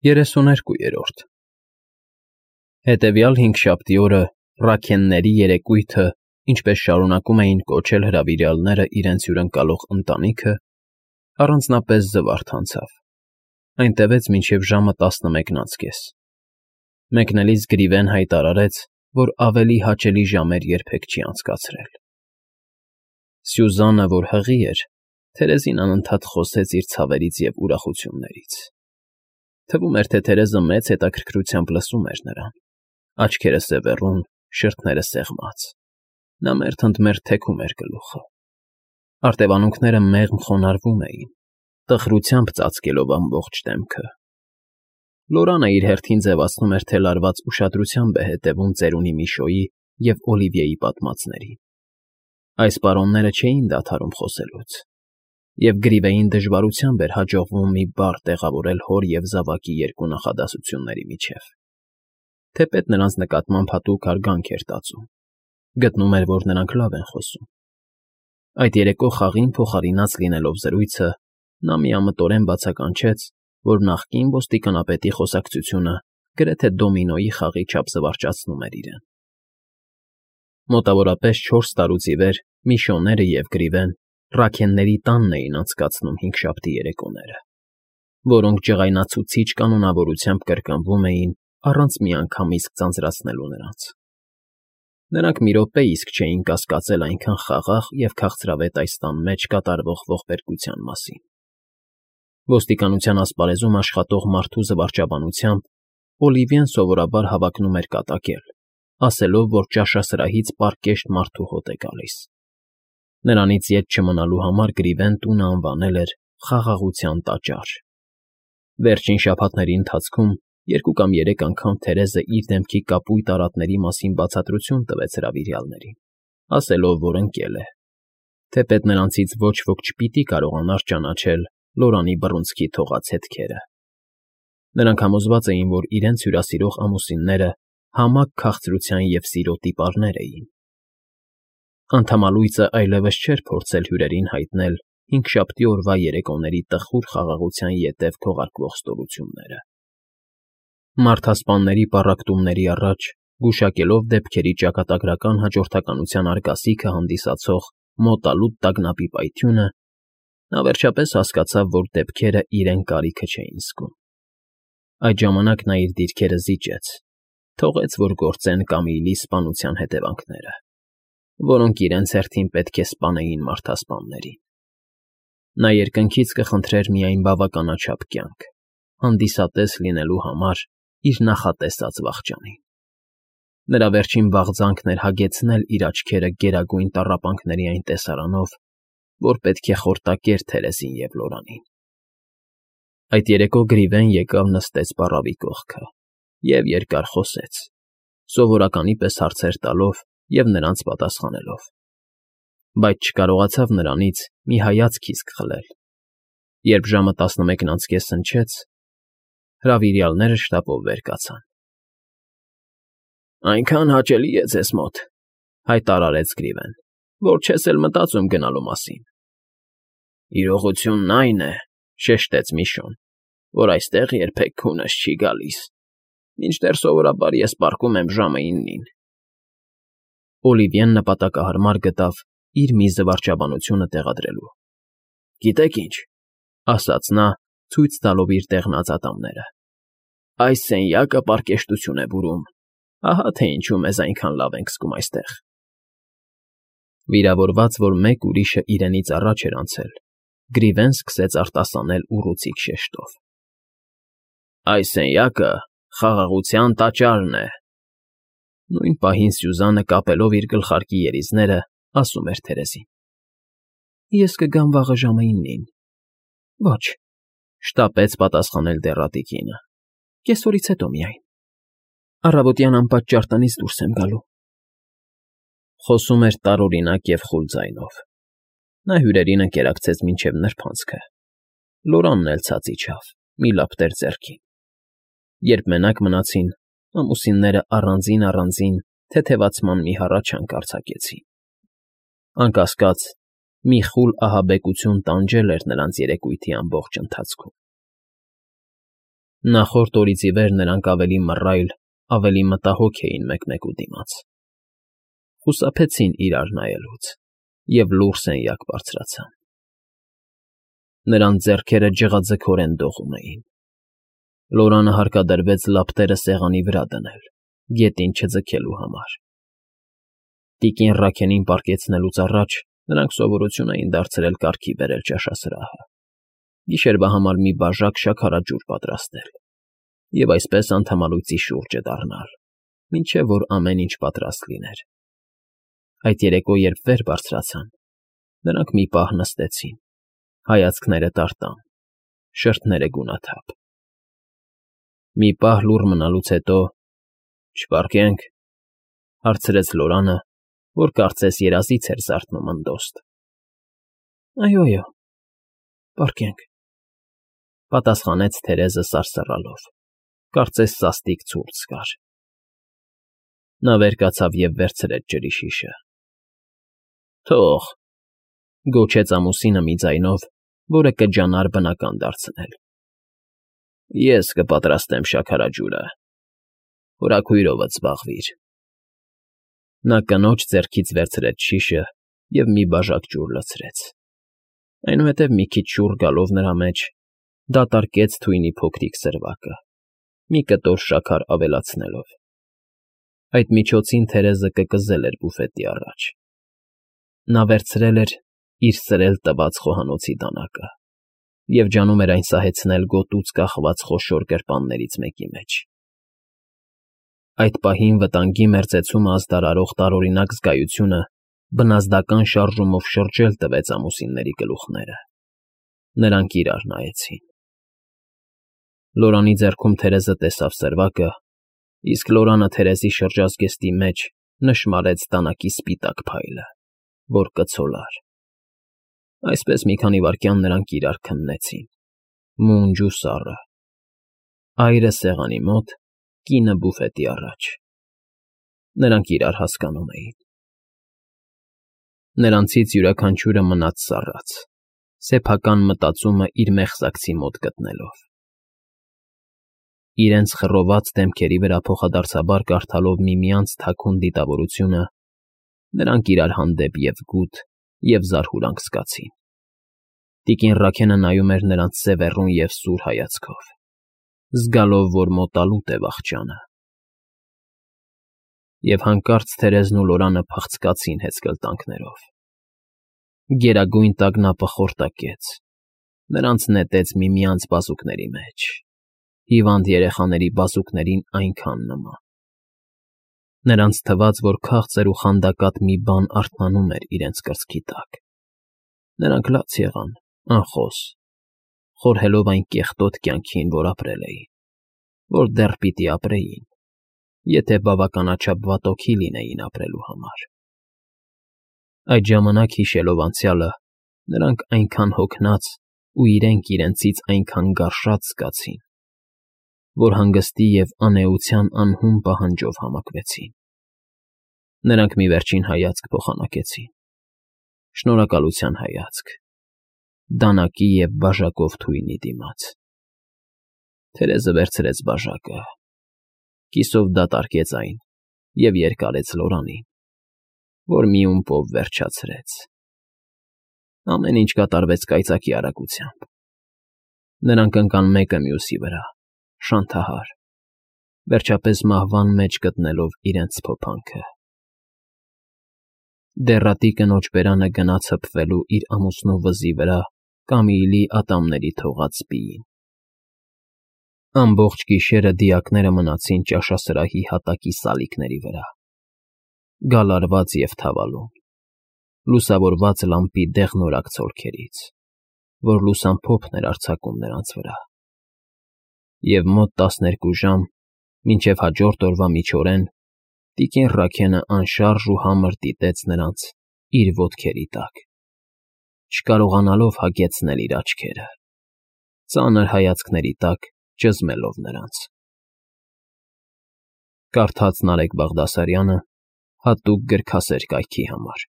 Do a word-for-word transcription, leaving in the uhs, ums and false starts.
երեսուներկուերորդ Հետևյալ հինգշաբթի օրը Ռաքենների երեկույթը, ինչպես շարունակում էին կոչել հրավիրյալները իրենց հյուրընկալող ընտանիքը, առանձնապես զվարթ անցավ, այնտեղից մինչև ժամը տասնմեկն անց կես. մեկնելիս Գրիվեն հայտարարեց, որ ավելի հաճելի ժամեր երբեք չի անցկացրել։ Սյուզանը, որ հղի էր, Թերեզին անընդհատ խոսեց իր ցավերից և ուրախություններից։ Թվում էր, թե Թերեզը մեծ հետաքրքրությամբ լսում էր նրան, աչքերը սևեռուն, շրթները սեղմած, նա մերթ ընդ մերթ թեքում էր գլուխը։ Արտևանունքները մեղմ խոնարհվում էին, տխրությամբ ծածկելով ամբողջ դեմքը։ Լորանը իր հերթին ձևացնում էր, թե լարված ուշադրությամբ է հետևում ծերունի Միշոյի և Օլիվիեի պատմածներին։ Այս պարոնները չէին դադարում խոսելուց, և Գրիվեին դժվարությամբ էր հաջողվում մի բառ տեղավորել հոր և զավակի երկու նախադասությունների միջև։ Թեպետ նրանց նկատմամբ հատուկ հարգանք էր տածում, գտնում էր, որ նրանք լավ են խոսում։ Այդ երեկո խաղին փոխարինած լինելով զրույցը, նա միամտորեն բացականչեց, որ նախկին ոստիկանապետի խոսակցությունը գրեթե դոմինոյի խաղի չափ զվարճացնում էր իրեն։ Մոտավորապես չորս տարուց ի վեր Միշոները և Գրիվեն Ռաքենների տանն էին անցկացնում հինգշաբթի երեկոները, որոնք ջղայնացուցիչ կանոնավորությամբ կրկնվում էին առանց մի անգամ իսկ ձանձրացնելու նրանց։ Նրանք մի րոպե իսկ չէին կասկածել այնքան խաղաղ և քաղցրավետ այս տան մեջ կատարվող ողբերգության մասին։ Ոստիկանության ասպարեզում աշխատող մարդու զվարճաբանությամբ Օլիվիեն սովորաբար հավակնում էր կատակել, ասելով, որ ճաշասրահից պարկեշտ մարդու հոտ է գալիս։ Նրանից ետ չմնալու համար Գրիվեն տունը անվանել էր «Խաղաղության տաճար»։ Վերջին շաբաթների ընթացքում երկու կամ երեք անգամ Թերեզը իր դեմքի կապույտ արատների մասին բացատրություն տվեց հրավիրյալներին, ասելով, որ ընկել է, թեպետ նրանցից ոչ ոք չպիտի կարողանար ճանաչել Լորանի բռունցքի թողած հետքերը։ Նրանք համոզված էին, որ իրենց հյուրասիրող ամուսինները համակ քաղցրության և սիրո տիպարներ էին։ Անդամալույծը այլևս չէր փորձել հյուրերին հայտնել հինգշաբթի օրվա երեկոների տխուր խաղաղության ետև քողարկվող ստորությունները։ Մարդասպանների պառակտումների առաջ, գուշակելով դեպքերի ճակատագրական հաջորդականության արգասիքը հանդիսացող մոտալուտ տագնապի պայթյունը, նա վերջապես հասկացավ, որ դեպքերը իրեն կարիքը չէին զգում։ Այդ ժամանակ նա իր դիրքերը զիջեց, թողեց, որ գործեն Կամիլի սպանության հետևանքները, որոնք իրենց հերթին պետք է սպանեին մարդասպաններին։ Նա երկնքից կխնդրեր միայն բավականաչափ կյանք, հանդիսատես լինելու համար իր նախատեսած վախճանին։ Նրա վերջին վաղձանքն էր հագեցնել իր աչքերը գերագույն տառապանքների այն տեսարանով, որ պետք է խորտակեր Թերեզին և Լորանին։ Այդ երեկո Գրիվեն եկավ նստեց պառավի կողքը և երկար խոսեց, սովորականի պես հարցեր տալով և նրանց պատասխանելով, բայց չկարողացավ նրանից մի հայացք իսկ խլել։ Երբ ժամը տասնմեկն անց կես հնչեց, հրավիրյալները շտապով վեր կացան։ ֊ Այնքան հաճելի է ձեզ մոտ, ֊ հայտարարեց Գրիվեն, ֊ որ չես էլ մտածում գնալու մասին։ ֊ Իրողությունն այն է, ֊ շեշտեց Միշոն, ֊ որ այստեղ երբեք քունս չի գալիս, մինչդեռ սովորաբար ես պառկում եմ ժամը իննին։ Օլիվիեն նպատակահարմար գտավ իր մի զվարճաբանությունը տեղադրելու։ ֊ Գիտեք ինչ, ֊ ասաց նա, ցույց տալով իր դեղնած ատամները, ֊ այս սենյակը պարկեշտություն է բուրում, ահա թե ինչու մեզ այնքան լավ ենք զգում այստեղ։ Վիրավորված, որ մեկ ուրիշը իրենից առաջ էր անցել, Գրիվեն սկսեց արտասանել ուռուցիկ շեշտով. ֊ Այս սենյակը Խաղաղության տաճարն է։ Նույն պահին Սյուզանը, կապելով իր գլխարկի երիզները, ասում էր Թերեզին. ֊ Ես կգամ վաղը ժամը իննին։ ֊ Ոչ, ֊ շտապեց պատասխանել դեռատի կինը, ֊ կեսօրից հետո միայն։ Առավոտյան անպատճառ տնից դուրս եմ գալու։ Խոսում էր տարօրինակ և խուլ ձայնով։ Նա հյուրերին ընկերակցեց մինչև նրբանցքը։ Լորանն էլ ցած իջավ, մի լապտեր ձեռքին։ Երբ մենակ մնացին, ամուսինները առանձին֊առանձին թեթևացման մի հառաչանք արձակեցին։ Անկասկած, մի խուլ ահաբեկություն տանջել էր նրանց երեկույթի ամբողջ ընթացքում։ Նախորդ օրից ի վեր նրանք ավելի մռայլ, ավելի մտահոգ էին մեկմեկու դիմաց, խուսափեցին իրար նայելուց և լուռ սենյակ բարձրացան։ Նրանց ձեռքերը ջղաձգորեն դողում էին։ Լորանը հարկադրվեց լապտերը սեղանի վրա դնել, գետին չձգելու համար։ Տիկին Ռաքելին պառկեցնելուց առաջ նրանք սովորություն էին դարձրել կարգի բերել ճաշասրահը, գիշերվա համար մի բաժակ շաքարաջուր պատրաստել և այսպես անդամալույծի շուրջը դառնալ, մինչև որ ամեն ինչ պատրաստ լիներ։ Այդ երեկո, երբ վեր բարձրացան, նրանք մի պահ նստեցին, հայացքները տարտան, շրթները գունաթափ։ Մի պահ լուռ մնալուց հետո. «Չպառկե՞նք,֊ հարցրեց Լորանը, որ կարծես երազից էր զարթնում ընդոստ։ «Այո, այո, պառկենք,֊ պատասխանեց Թերեզը սարսռալով, կարծես սաստիկ ցուրտ զգար։ Նա վեր կացավ և վերցրեց ջրի շիշը։ «Թող,֊ գոչեց ամուսինը մի ձայնով, որը կջանար բնական դարձնել,֊ ես կպատրաստեմ շաքարաջուրը, հորաքույրովդ զբաղվիր»։ Նա կնոջ ձեռքից վերցրեց շիշը և մի բաժակ ջուր լցրեց, այնուհետև մի քիչ շուռ գալով նրա մեջ, դատարկեց թույնի փոքրիկ սրվակը, մի կտոր շաքար ավելացնելով։ Այդ միջոցին Թերեզը կկզել էր բուֆետի առաջ։ Նա վերցրել էր իր սրել տված խոհանոցի դանակը և ջանում էր այն սահեցնել գոտուց կախված խոշոր գրպաններից մեկի մեջ։ Այդ պահին վտանգի մերձեցումը ազդարարող տարօրինակ զգայությունը բնազդական շարժումով շրջել տվեց ամուսինների գլուխները։ Նրանք իրար նայեցին։ Լորանի ձեռքում Թերեզը տեսավ սրվակը, իսկ Լորանը Թերեզի շրջազգեստի մեջ նշմարեց դանակի սպիտակ փայլը, որ կցոլար։ Այսպես մի քանի վայրկյան նրանք իրար քննեցին, մունջ ու սառը, այրը սեղանի մոտ, կինը բուֆետի առաջ։ Նրանք իրար հասկանում էին։ Նրանցից յուրաքանչյուրը մնաց սառած, սեփական մտածումը իր մեղսակցի մոտ գտնելով։ Իրենց խռոված դեմքերի վրա փոխադարձաբար կարդալով միմյանց թաքուն դիտավորությունը, նրանք իրար հանդեպ և՛ գութ, և՛ զարհուրանք զգացին։ Տիկին Ռաքենը նայում էր նրանց սևեռուն և սուր հայացքով, զգալով, որ մոտալուտ է վախճանը։ Եվ հանկարծ Թերեզն ու Լորանը փախցկացին հեծկլտանքներով։ Գերագույն տագնապը խորտակեց, նրանց նետեց միմյանց բազուկների մեջ, հիվանդ երեխաների բազուկներին այնքան նման։ Նրանց թվաց, որ քաղցր ու խանդակատ մի բան արթնանում էր իրենց կրծքի տակ։ Նրանք լաց եղան, անխոս, խորհելով այն կեղտոտ կյանքին, որ ապրել էին, որ դեռ պիտի ապրեին, եթե բավականաչափ վատօքի լինեին ապրելու համար։ Այդ ժամանակ, հիշելով անցյալը, նրանք այնքան հոգնած ու իրենք իրենցից այնքան գարշած զգացին, որ հանգստի և անէության անհուն պահանջով համակվեցին։ Նրանք մի վերջին հայացք փոխանակեցին, շնորհակալության հայացք, դանակի և բաժակով թույնի դիմաց։ Թերեզը վերցրեց բաժակը, կիսով դատարկեց այն և երկարեց Լորանին, որ մի ումպով վերջացրեց։ Ամեն ինչ կատարվեց կայծակի արագությամբ։ Նրանք ընկան մեկը մյուսի վրա, շանթահար, վերջապես մահվան մեջ գտնելով իրենց փոփանքը։ Դեռատի կնոջ բերանը գնաց հպվելու իր ամուսնու վզի վրա Կամիլի ատամների թողած սպիին։ Ամբողջ գիշերը դիակները մնացին ճաշասրահի հատակի սալիկների վրա, գալարված և թավալուն, լուսավորված լամպի դեղնորակ ցոլքերից, որ լուսամփոփն էր արձակում նրանց վրա։ Եվ մոտ տասներկու ժամ, մինչև հաջորդ օրվա միջօրեն, տիկին Ռաքենը անշարժ ու համր դիտեց նրանց իր ոտքերի տակ, չկարողանալով հագեցնել իր աչքերը, ծանր հայացքների տակ ճզմելով նրանց։ Կարդաց Նարեկ Բաղդասարյանը հատուկ գրքասեր կայքի համար։